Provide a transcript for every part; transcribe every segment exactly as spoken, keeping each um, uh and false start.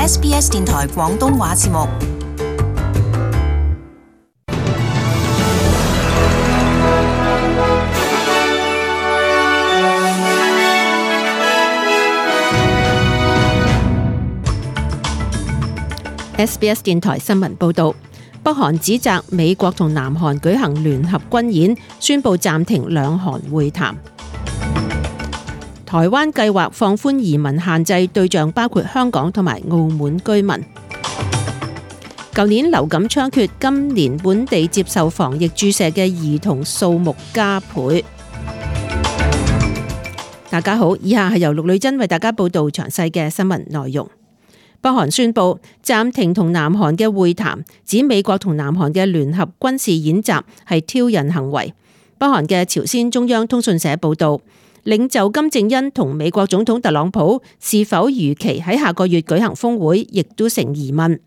S B S 電台廣東話節目。S B S 電台新聞報道，北韓指責美國同南韓舉行聯合軍演，宣布暫停兩韓會談。台灣計劃放寬移民限制，對象包括香港同埋澳門居民。舊年流感猖獗，今年本地接受防疫注射嘅兒童數目加倍。大家好，以下係由陸女真為大家報道詳細嘅新聞內容。北韓宣布暫停同南韓嘅會談，指美國同南韓嘅聯合軍事演習係挑釁行為。北韓嘅朝鮮中央通訊社報道，領袖金正恩同美國總統特朗普是否如期喺下個月舉行峰會，亦都成疑問。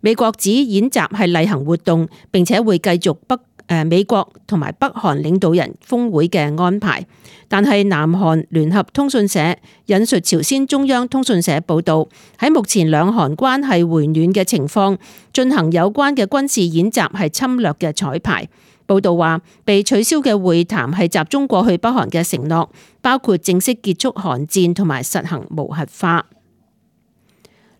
美國指演習係例行活動，並且會繼續北誒美國同埋北韓領導人峰會嘅安排。但係南韓聯合通訊社引述朝鮮中央通訊社報道，喺目前兩韓關係回暖嘅情況，進行有關嘅軍事演習係侵略嘅彩排。報道話，被取消嘅會談係集中過去北韓嘅承諾，包括正式結束韓戰同埋實行無核化。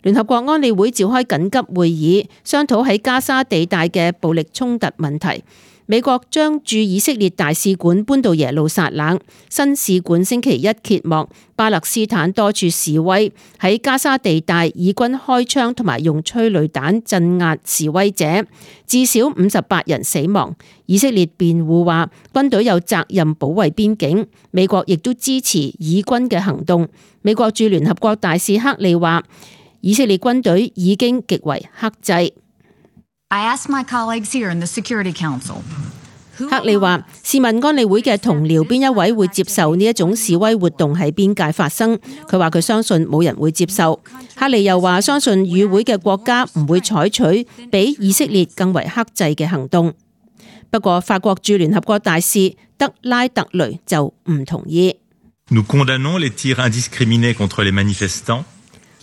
聯合國安理會召開緊急會議，商討喺加沙地帶嘅暴力衝突問題。美國將駐以色列大使館搬到耶路撒冷，新使館星期一揭幕。巴勒斯坦多處示威，喺加沙地帶以軍開槍同埋用催淚彈鎮壓示威者，至少五十八人死亡。以色列辯護話，軍隊有責任保衛邊境，美國亦都支持以軍嘅行動。美國駐聯合國大使克利話，以色列軍隊已經極為克制。I asked my colleagues here in the Security Council. 克利話：試問安理會嘅同僚邊一位會接受呢一種示威活動喺邊界發生？佢話佢相信冇人會接受。克利又話相信與會嘅國家唔會採取比以色列更為克制嘅行動。不過法國駐聯合國大使德拉特雷就唔同意。Nous condamnons les tirs indiscriminés contre les manifestants.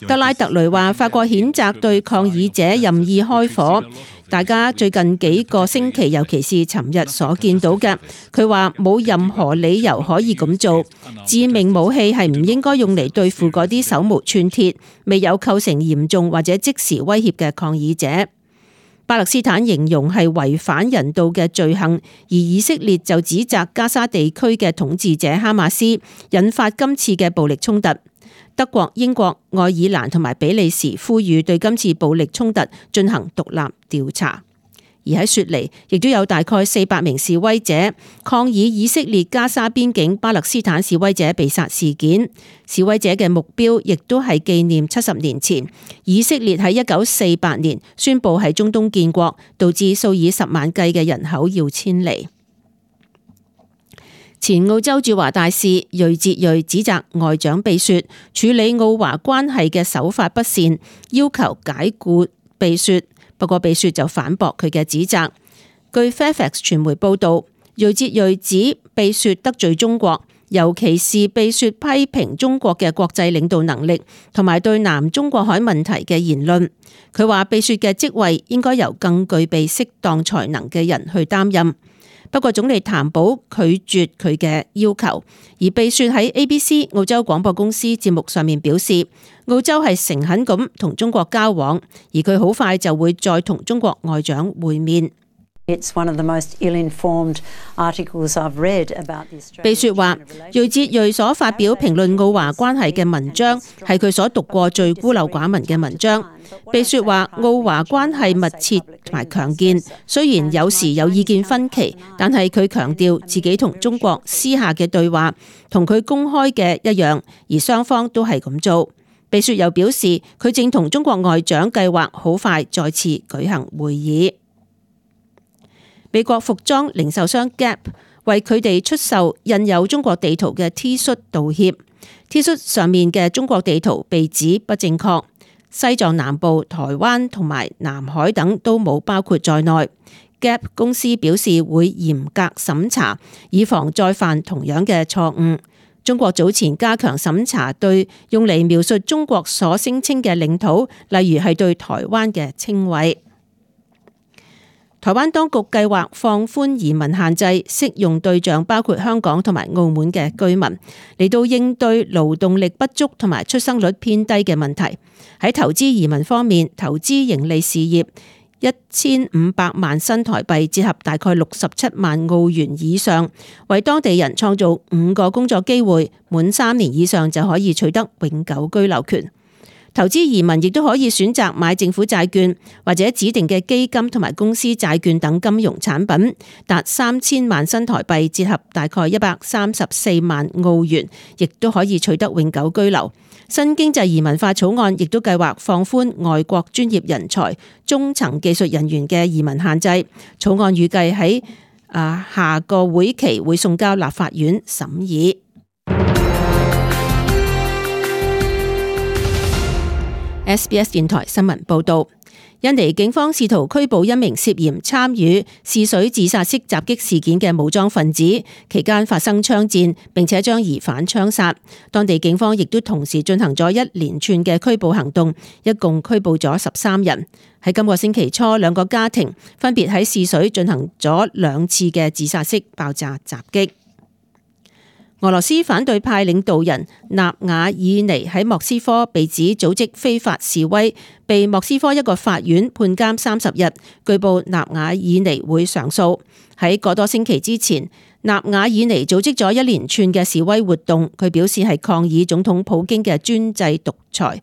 德拉特雷話：法國譴責對抗議者任意開火。大家最近幾個星期，尤其是尋日所見到嘅，佢話冇任何理由可以咁做。致命武器係唔應該用嚟對付嗰啲手無寸鐵、未有構成嚴重或者即時威脅嘅抗議者。巴勒斯坦形容係違反人道嘅罪行，而以色列就指責加沙地區嘅統治者哈馬斯引發今次嘅暴力衝突。德國、英國、愛爾蘭同埋比利時呼籲對今次暴力衝突進行獨立調查。而喺雪梨，亦都有大概四百名示威者抗議以色列加沙邊境巴勒斯坦示威者被殺事件。示威者嘅目標亦都係紀念七十年前以色列喺一九四八年宣布喺中東建國，導致數以十萬計嘅人口要遷離。前澳洲駐華大使瑞哲瑞指責外長貝雪處理澳華關係嘅手法不善，要求解僱貝雪。不過貝雪就反駁佢嘅指責。據 Fairfax 傳媒報道，瑞哲瑞指貝雪得罪中國，尤其是貝雪批評中國嘅國際領導能力同埋對南中國海問題嘅言論。佢話貝雪嘅職位應該由更具備適當才能嘅人去擔任。不過總理譚寶拒絕佢嘅要求，而貝雪喺 A B C 澳洲廣播公司節目上面表示，澳洲係誠懇咁同中國交往，而佢好快就會再同中國外長會面。It's one of the most ill-informed articles I've read about the Australian-China relationship. 貝雪話，瑞哲瑞所發表評論澳華關係嘅文章係佢所讀過最孤陋寡聞嘅文章。貝雪話，澳華關係密切同埋強健，雖然有時有意見分歧，但係佢強調自己同中國私下嘅對話同佢公開嘅一樣，而雙方都係咁做。貝雪又表示，佢正同中國外長計劃好快再次舉行會議。美國服裝零售商 Gap 為佢哋出售印有中國地圖嘅 T 恤道歉。T 恤上面嘅中國地圖被指不正確，西藏南部、台灣同埋南海等都冇包括在內。Gap 公司表示會嚴格審查，以防再犯同樣嘅錯誤。中國早前加強審查對用嚟描述中國所聲稱嘅領土，例如係對台灣嘅稱謂。台灣當局計劃放寬移民限制，適用對象包括香港同埋澳門嘅居民，嚟到應對勞動力不足同埋出生率偏低嘅問題。喺投資移民方面，投資盈利事業一千五百萬新台幣，折合大概六十七萬澳元以上，為當地人創造五個工作機會，滿三年以上就可以取得永久居留權。投資移民亦都可以選擇買政府債券或者指定嘅基金同埋公司債券等金融產品，達三千萬新台幣，折合大概一百三十四萬澳元，亦都可以取得永久居留。新經濟移民法草案亦都計劃放寬外國專業人才、中層技術人員嘅移民限制。草案預計喺啊下個會期會送交立法院審議。S B S 電台新聞報道，印尼警方試圖拘捕一名涉嫌參與試水自殺式襲擊事件嘅武裝分子，期間發生槍戰，並且將疑犯槍殺。當地警方亦都同時進行咗一連串嘅拘捕行動，一共拘捕咗十三人。喺今個星期初，兩個家庭分別喺試水進行咗兩次嘅自殺式爆炸襲擊。俄羅斯反對派領導人納瓦爾尼喺莫斯科被指組織非法示威，被莫斯科一個法院判監三十日。據報納瓦爾尼會上訴。喺個多星期之前，納瓦爾尼組織咗一連串嘅示威活動，佢表示係抗議總統普京嘅專制獨裁。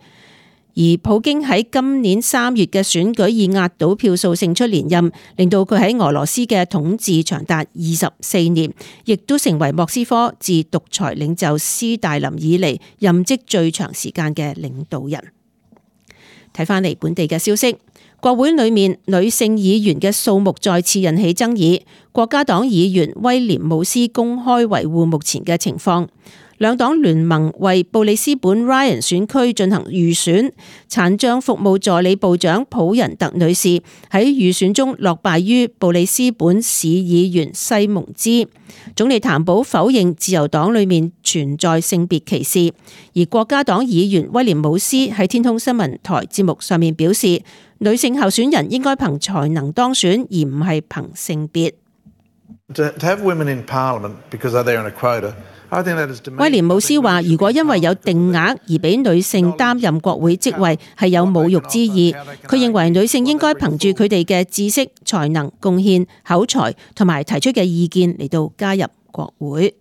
而普京喺今年三月嘅選舉以壓倒票數勝出連任，令到佢喺俄羅斯嘅統治長達二十四年，亦都成為莫斯科自獨裁領袖斯大林以嚟任職最長時間嘅領導人。睇返嚟本地嘅消息，國會裏面女性議員嘅數目再次引起爭議。國家黨議員威廉姆斯公開維護目前嘅情況。兩黨聯盟為布里斯本 Ryan 選區進行預選，殘障服務助理部長普仁特女士喺預選中落敗於布里斯本市議員西蒙茲。總理譚寶否認自由黨裏面存在性別歧視，而國家黨議員威廉姆斯喺天空新聞台節目上面表示，女性候選人應該憑才能當選，而唔係憑性別。To have women in Parliament because they're on a quota. 威廉姆斯話：如果因為有定額而俾女性擔任國會職位，係有侮辱之意。佢認為女性應該憑住佢哋嘅知識、才能、貢獻、口才同埋提出嘅意見嚟到加入國會。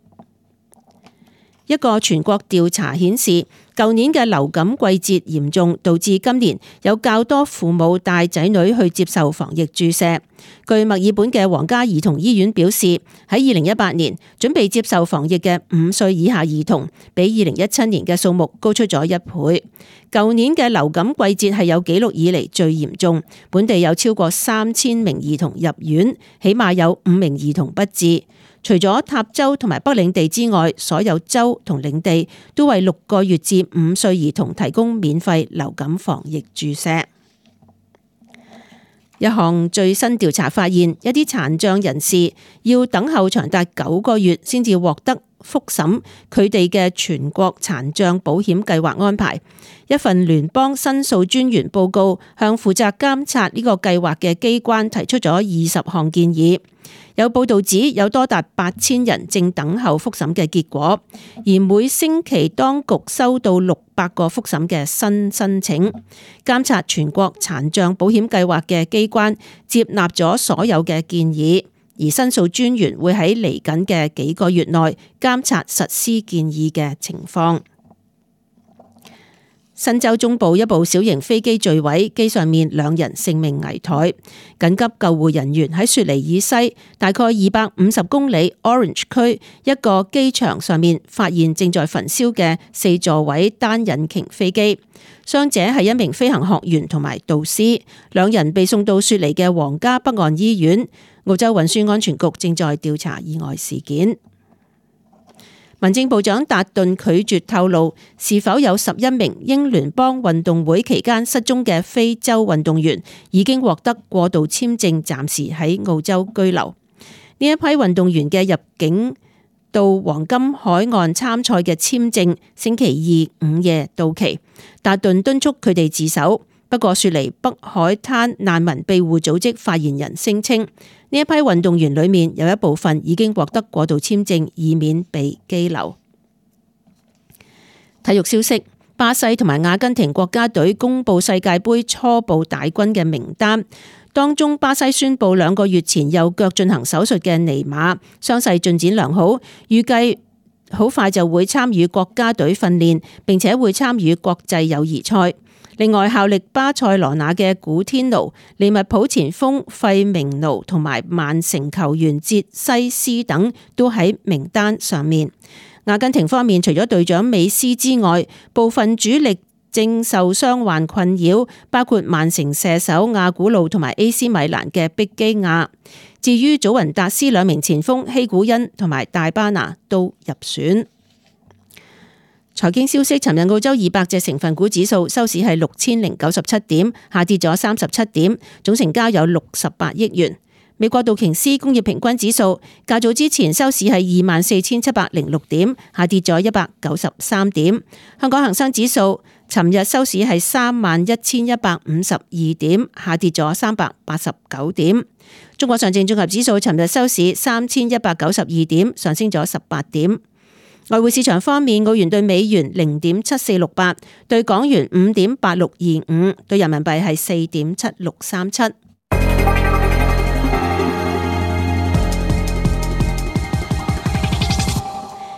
一個全國調查顯示，舊年嘅流感季節嚴重，導致今年有較多父母帶仔女去接受防疫注射。據墨爾本嘅皇家兒童醫院表示，喺二零一八年準備接受防疫嘅五歲以下兒童，比二零一七年嘅數目高出咗一倍。舊年嘅流感季節係有紀錄以嚟最嚴重，本地有超過三千名兒童入院，起碼有五名兒童不治。除咗塔州同埋北領地之外，所有州同領地都為六個月至五歲兒童提供免費流感防疫注射。一項最新調查發現，一啲殘障人士要等候長達九個月先至獲得復審佢哋嘅全國殘障保險計劃安排。一份聯邦申訴專員報告向負責監察呢個計劃嘅機關提出咗二十項建議。有報道指有多達八千人正等候復審嘅結果，而每星期當局收到六百個復審嘅新申請。監察全國殘障保險計劃嘅機關接納咗所有嘅建議，而申訴專員會喺嚟緊嘅幾個月內監察實施建議嘅情況。新州中部一部小型飛機墜毀，機上面兩人性命危殆。緊急救護人員喺雪梨以西大概二百五十公里 Orange 區一個機場上面發現正在焚燒嘅四座位單引擎飛機。傷者係一名飛行學員同埋導師，兩人被送到雪梨嘅皇家北岸醫院。澳洲運輸安全局正在調查意外事件。民政部長達頓拒絕透露是否有十一名英聯邦運動會期間失蹤嘅非洲運動員已經獲得過渡簽證，暫時喺澳洲居留。呢一批運動員嘅入境到黃金海岸參賽嘅簽證星期二午夜到期，達頓敦促佢哋自首。不過雪梨北海灘難民庇護組織發言人聲稱，呢一批運動員裏面有一部分已經獲得過渡簽證，以免被羈留。體育消息：巴西同埋阿根廷國家隊公布世界盃初步大軍嘅名單，當中巴西宣布兩個月前右腳進行手術嘅尼馬傷勢進展良好，預計好快就會參與國家隊訓練，並且會參與國際友誼賽。另外，效力巴塞羅那嘅古天奴、利物浦前鋒費明奴同埋曼城球員哲西斯等都喺名單上面。阿根廷方面，除咗隊長美斯之外，部分主力正受傷患困擾，包括曼城射手亞古路同埋 A C 米蘭嘅碧基亞。至於祖雲達斯兩名前鋒希古恩同埋大巴拿都入選。財經消息：尋日澳洲二百隻成分股指數收市係六千零九十七點，下跌咗三十七點，總成交有六十八億元。美國道瓊斯工業平均指數較早之前收市係二萬四千七百零六點，下跌咗一百九十三點。香港恒生指數尋日收市係三萬一千一百五十二點，下跌咗三百八十九點。中國上證綜合指數尋日收市三千一百九十二點，上升咗十八點。外匯市場方面，澳元兌美元零點七四六八，兌港元五點八六二五，兌人民幣係四點七六三七。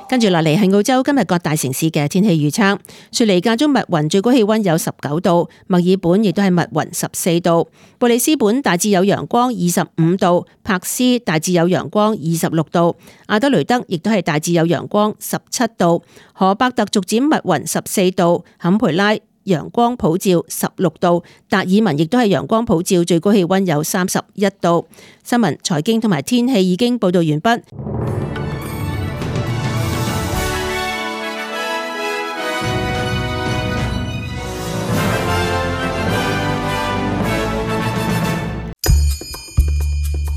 跟住落嚟係澳洲今日各大城市嘅天氣預測。雪梨間中密雲，最高氣溫有十九度；墨爾本亦都係密雲十四度；布里斯本大致有陽光二十五度；柏斯大致有陽光二十六度；阿德雷德亦都係大致有陽光十七度；荷伯特逐漸密雲十四度；坎培拉陽光普照十六度；達爾文亦都係陽光普照，最高氣溫有三十一度。新聞、財經同埋天氣已經報道完畢。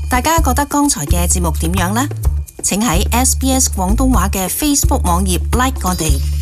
大家覺得剛才嘅節目點樣呢？請喺 S B S 廣東話嘅 Facebook 網頁 like 我哋。